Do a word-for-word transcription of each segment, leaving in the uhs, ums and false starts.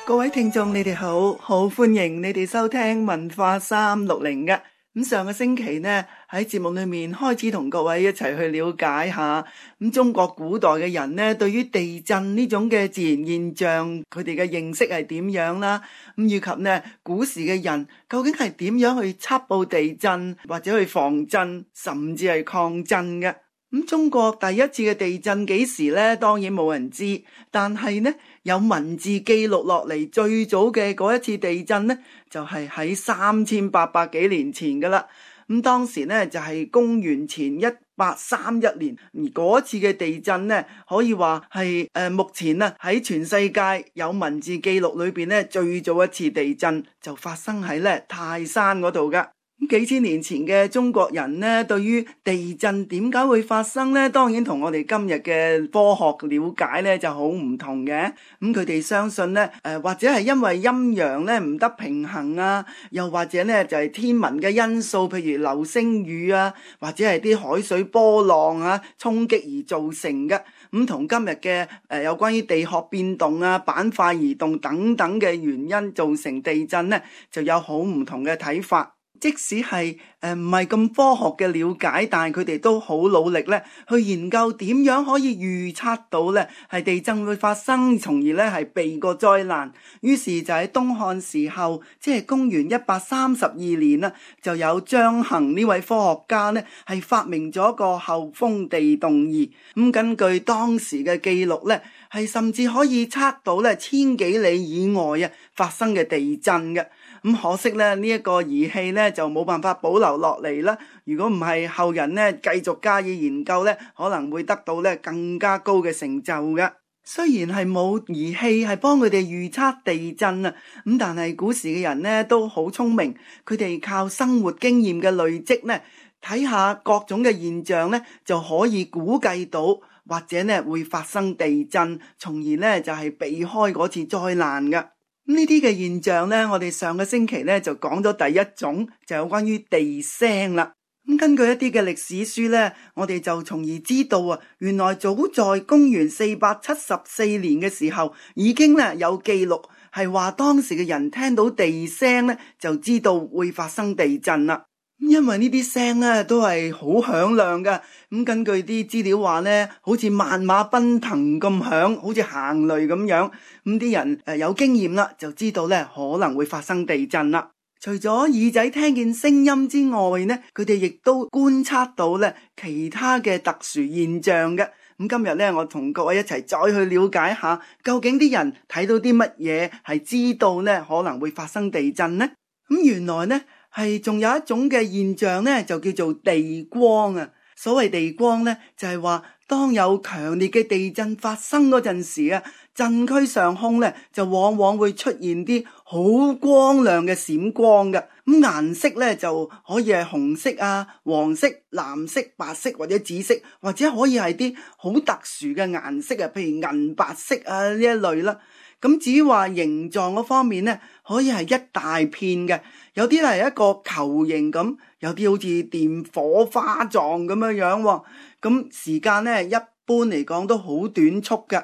各位聽眾你哋好，好歡迎你哋收聽文化三六零嘅。咁上個星期呢，喺節目裏面開始同各位一齊去了解下咁中國古代嘅人呢，對於地震呢種嘅自然現象，佢哋嘅認識係點樣啦？咁以及呢古時嘅人究竟係點樣去測報地震或者去防震，甚至係抗震嘅？咁中國第一次嘅地震幾時呢？當然冇人知，但係呢有文字記錄落嚟，最早嘅嗰一次地震呢，就係喺三千八百幾年前噶啦。咁當時呢就係公元前一八三一年，而嗰次嘅地震呢，可以話係誒目前啊喺全世界有文字記錄裏邊呢最早一次地震就發生喺咧泰山嗰度噶。咁幾千年前嘅中國人呢，對於地震點解會發生呢？當然同我哋今日嘅科學了解呢就好唔同嘅。咁佢哋相信呢，誒、呃、或者係因為陰陽呢唔得平衡啊，又或者呢就係、是、天文嘅因素，譬如流星雨啊，或者係啲海水波浪啊衝擊而造成嘅。咁同今日嘅誒、呃、有關於地殼變動啊、板塊移動等等嘅原因造成地震呢，就有好唔同嘅睇法。即使係誒唔係咁科學嘅了解，但係佢哋都好努力咧，去研究點樣可以預測到咧係地震會發生，從而咧係避過災難。於是就喺東漢時候，即係公元一百三十二年啦，就有張衡呢位科學家咧係發明咗一個後風地動儀。咁根據當時嘅記錄咧，係甚至可以測到咧千幾里以外啊發生嘅地震嘅。咁可惜咧，呢一個儀器咧就冇辦法保留落嚟啦。如果唔係後人咧繼續加以研究咧，可能會得到咧更加高嘅成就嘅。雖然係冇儀器係幫佢哋預測地震啊，咁但係古時嘅人咧都好聰明，佢哋靠生活經驗嘅累積咧，睇下各種嘅現象咧，就可以估計到或者咧會發生地震，從而咧就係避開嗰次災難嘅。呢啲嘅現象呢，我哋上個星期呢就講咗第一種，就有關於地聲啦。咁根據一啲嘅歷史書呢，我哋就從而知道啊，原來早在公元四百七十四年嘅時候，已經呢有記錄係話當時嘅人聽到地聲呢，就知道會發生地震啦。因為呢啲聲咧都係好響亮嘅，咁根據啲資料話咧，好似萬馬奔騰咁響，好似行雷咁樣。咁啲人誒有經驗啦，就知道咧可能會發生地震啦。除咗耳仔聽見聲音之外呢，佢哋亦都觀察到咧其他嘅特殊現象嘅。咁今日咧，我同各位一齊再去了解下，究竟啲人睇到啲乜嘢係知道咧可能會發生地震呢？咁原來呢。係仲有一種嘅現象呢，就叫做地光啊。所謂地光呢，就係話當有強烈嘅地震發生嗰陣時啊，震區上空呢，就往往會出現啲好光亮嘅閃光嘅。咁顏色呢，就可以係紅色啊、黃色、藍色、白色或者紫色，或者可以係啲好特殊嘅顏色啊，譬如銀白色啊呢一類啦。咁至於話形狀嗰方面呢，可以係一大片嘅，有啲係一個球形咁，有啲好似電火花狀咁樣樣喎。咁時間呢，一般嚟講都好短促嘅。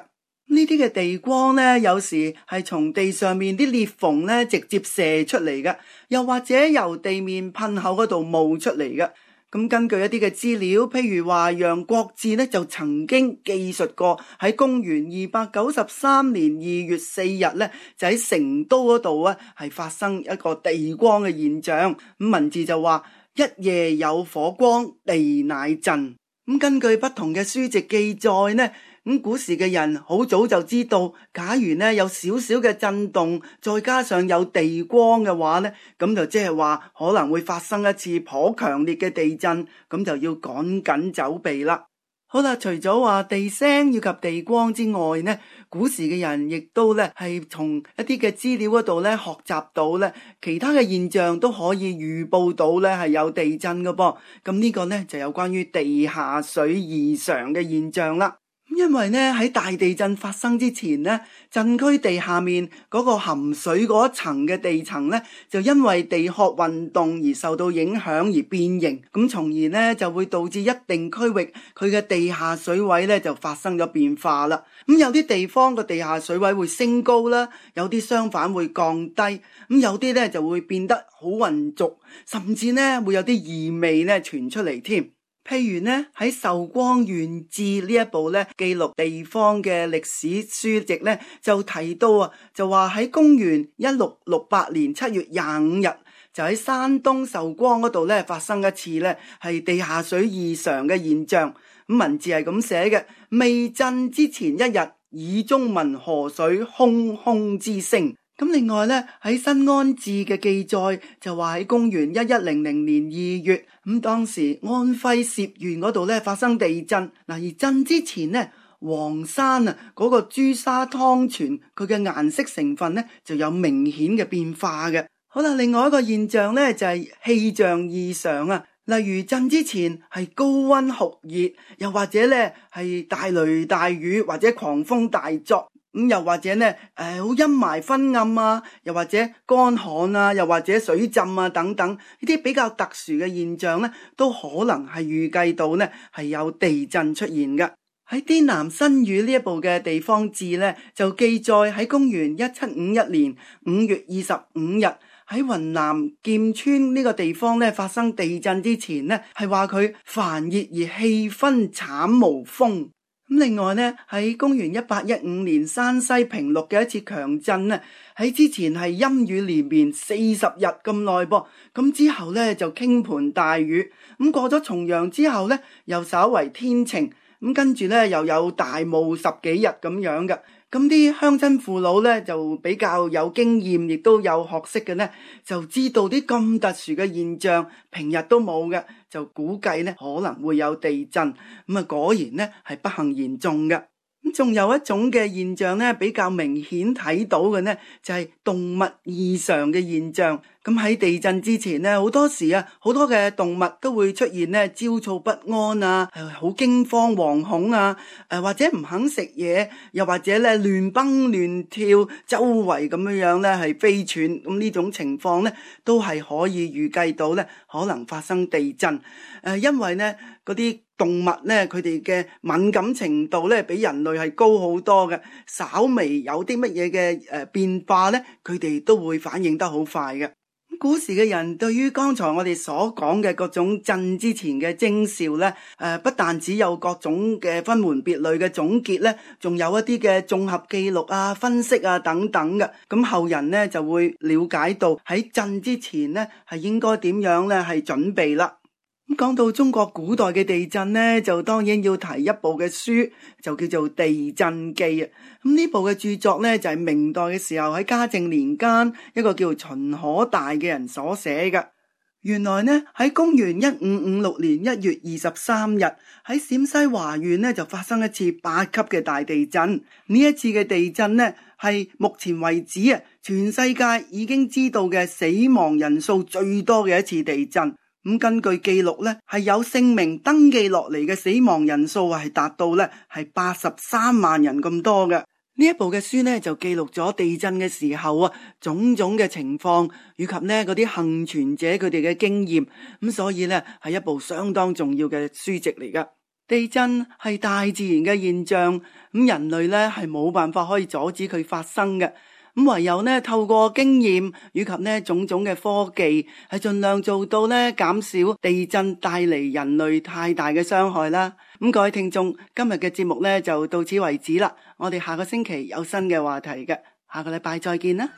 呢啲嘅地光呢，有時係從地上面啲裂縫呢直接射出嚟嘅，又或者由地面噴口嗰度冒出嚟嘅。咁根據一啲嘅資料，譬如話楊國志咧就曾經記述過喺公元二百九十三年二月四日咧，就喺成都嗰度啊係發生一個地光嘅現象。咁文字就話一夜有火光，地乃震。咁根據不同嘅書籍記載呢，咁古時嘅人好早就知道，假如呢有少少嘅震動，再加上有地光嘅話呢，咁就即係話可能會發生一次頗強烈嘅地震，咁就要趕緊走避啦。好啦，除咗話地聲以及地光之外呢，古時嘅人亦都咧係從一啲嘅資料嗰度咧學習到咧其他嘅現象都可以預報到咧係有地震嘅噃。咁呢個呢就有關於地下水異常嘅現象啦。因為呢喺大地震發生之前呢，震區地下面嗰個含水嗰一層嘅地層呢，就因為地殼運動而受到影響而變形，咁從而呢就會導致一定區域佢嘅地下水位呢就發生咗變化啦。咁有啲地方個地下水位會升高啦，有啲相反會降低，咁有啲呢就會變得好渾濁，甚至呢會有啲異味呢傳出嚟添。譬如呢喺《壽光縣志》呢一部呢記錄地方嘅歷史書籍呢，就提到啊，就話喺公元一六六八年七月廿五日，就喺山東壽光嗰度呢發生一次呢係地下水異常嘅現象。咁文字係咁寫嘅：未震之前一日，耳中聞河水轟轟之聲。咁另外咧喺《新安志》嘅記載就話喺公元一一零零年二月，咁當時安徽歙縣嗰度咧發生地震，嗱而震之前呢，黃山啊嗰個珠沙湯泉佢嘅顏色成分咧就有明顯嘅變化嘅。好啦，另外一個現象咧就係氣象異常啊，例如震之前係高溫酷熱，又或者咧係大雷大雨或者狂風大作。咁又或者呢，誒、呃，好陰霾昏暗啊，又或者乾旱啊，又或者水浸啊等等，呢啲比較特殊嘅現象呢，都可能係預計到呢係有地震出現嘅。喺《滇南新語》呢一部嘅地方志呢，就記載喺公元一七五一年五月二十五日喺雲南劍川呢個地方呢發生地震之前呢，係話佢煩熱而氣氛慘無風。咁另外呢，喺公元一八一五年山西平陸嘅一次強震呢，喺之前係陰雨連綿四十日咁耐噃，咁之後呢，就傾盆大雨，咁過咗重陽之後呢，又稍為天晴，咁跟住呢，又有大霧十幾日咁樣嘅。咁啲鄉親父老呢，就比較有經驗，亦都有學識嘅呢，就知道啲咁特殊嘅現象平日都冇嘅，就估計呢可能會有地震。咁啊果然呢係不幸言中嘅。咁仲有一種嘅現象呢，比較明顯睇到嘅呢，就係動物異常嘅現象。咁喺地震之前呢，好多時啊，好多嘅動物都會出現呢焦躁不安啊，好驚慌惶恐啊，誒或者唔肯食嘢，又或者咧亂蹦亂跳，周圍咁樣樣咧係飛竄。咁呢種情況呢，都係可以預計到呢可能發生地震。誒，因為呢嗰啲動物呢，佢哋嘅敏感程度呢，比人類係高好多嘅，稍微有啲乜嘢嘅誒變化呢，佢哋都會反應得好快嘅。古時嘅人對於剛才我哋所講嘅各種震之前嘅徵兆呢，誒不但只有各種嘅分門別類嘅總結呢，仲有一啲嘅綜合記錄啊、分析啊等等嘅。咁後人呢就會了解到喺震之前呢係應該點樣呢係準備啦。咁講到中國古代嘅地震呢，就當然要提一部嘅書，就叫做《地震記》啊。咁呢部嘅著作呢，就係明代嘅時候喺嘉靖年間一個叫秦可大嘅人所寫嘅。原來呢喺公元一五五六年一月二十三日喺陝西華縣呢就發生一次八級嘅大地震。呢一次嘅地震呢係目前為止啊全世界已經知道嘅死亡人數最多嘅一次地震。咁根據記錄咧，係有姓名登記落嚟嘅死亡人數係達到咧係八十三萬人咁多嘅。呢一部嘅書呢，就記錄咗地震嘅時候啊種種嘅情況，以及呢嗰啲幸存者佢哋嘅經驗。咁所以呢，係一部相當重要嘅書籍嚟噶。地震係大自然嘅現象，咁人類呢係冇辦法可以阻止佢發生嘅。咁唯有呢透過經驗以及呢種種嘅科技，係盡量做到呢減少地震帶嚟人類太大嘅傷害啦。咁各位聽眾，今日嘅節目呢就到此為止啦。我哋下個星期有新嘅話題嘅，下個禮拜再見啦。